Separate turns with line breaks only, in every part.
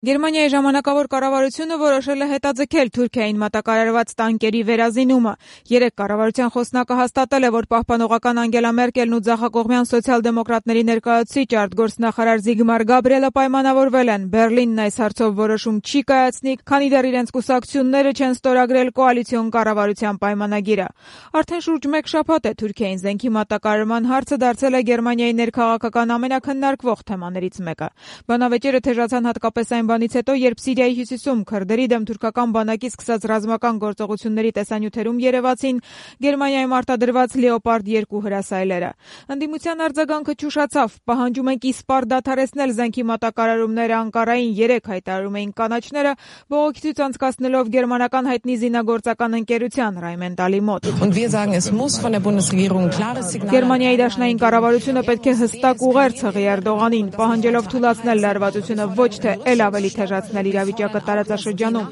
Գերմանիայի ժամանակավոր կառավարությունը որոշել է հետաձգել Թուրքիային մատակարարված տանկերի վերազինումը։ Երեկ կառավարության խոսնակը հաստատել է, որ պահպանողական Անգելա Մերկելն ու ձախակողմյան սոցիալ-դեմոկրատների ներկայացուցիչ արտգործնախարար Զիգմար Գաբրիելը պայմանավորվել են։ Բեռլինն այս հարցով որոշում չի կայացնի, քանի դեռ իրենց կուսակցությունները չեն ստորագրել կոալիցիոն կառավարության պայմանագիրը։ Արդեն շուրջ մեկ շաբաթ է Թուրքիային զենքի մատակարարման հարցը դարձել է Գերմանիայի ներքաղաքական ամենաքննարկվող թեմաներից մեկը։ Բանավեճերը թեժացան հատկապես այն բանից հետո, երբ Սիրիայի հյուսիսում քրդերի դեմ թուրքական բանակի սկսած ռազմական գործողությունների տեսանյութերում երևացին Գերմանիայում արտադրված Լեոպարդ 2 հրասայլերը։ Ընդդիմության արձագանքը չուշացավ։ Պահանջում ենք իսպառ դադարեցնել զենքի մատակարարումները Անկարային, 3 հայտարարում էին կանաչները, բողոքի ցույց անցկացնելով գերմանական հայտնի զինագործական ընկերության Rheinmetall-ի մոտ։ Գերմանիայի դաշնային կառավարությունը պետք է հստակ ուղերձ հղի Էրդողանին, պահանջելով թուլացնել լարվածությունը, ոչ թե ել ավելի թեժացնել իրավիճակը տարածաշրջանում։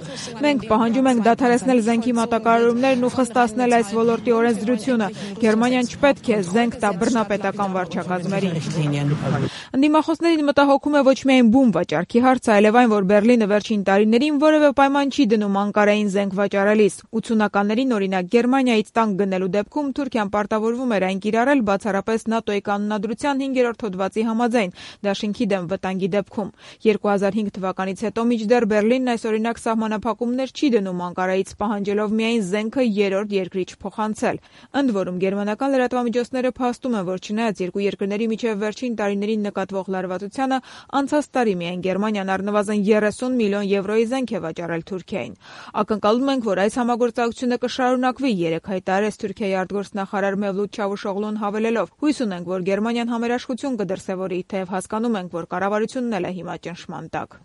Մենք պահանջում ենք դադարեցնել զենքի մատակարարումներն ու խստացնել այս ոլորտի օրենսդրությունը։ Գերմանիան չպետք է զենք տա բռնապետական վարչակազմերին։ Ընդդիմախոսներին մտահոգում է ոչ միայն բում վաճառքի հարցը, այլև այն, որ Բեռլինը վերջին տարիներին որևէ պայման չի դնում Անկարային զենք վաճառելիս։ 80-ականներին, օրինակ, Գերմանիայից տանկ գնելու դեպքում Թուրքիան պարտավորվում էր այն կիրառել բացառապես ՆԱՏՕ-ի կանոնադրության 5-րդ հոդվածի համաձայն, դաշինքի դեմ վտանգի դեպքում։ 2005 թվականից հետո մինչդեռ Բեռլինն այս օրինակ սահմանափակումներ չի դնում Անկարայից, պահանջելով միայն զենքը երրորդ երկրի չփոխանցել։ Ընդ որում, գերմանական լրատվամիջոցները փաստում են, որ չնայած երկու երկրների միջև վերջին տարիներին նկատվող լարվածությանը, անցած տարի միայն Գերմանիան առնվազն 30 միլիոն եվրոյի զենք է վաճառել Թուրքիային։ Ակնկալում ենք, որ այս համագործակցությունը կշարունակվի, երեկ հայտարարեց Թուրքիայի արտգործնախարար Մևլութ Չավուշօղլուն հավելելով. հույս ունենք, որ Գերմանիան համերաշխություն կդրսևորի, թեև հասկանում ենք, որ կառավարությունն էլ է հիմա ճնշման տակ։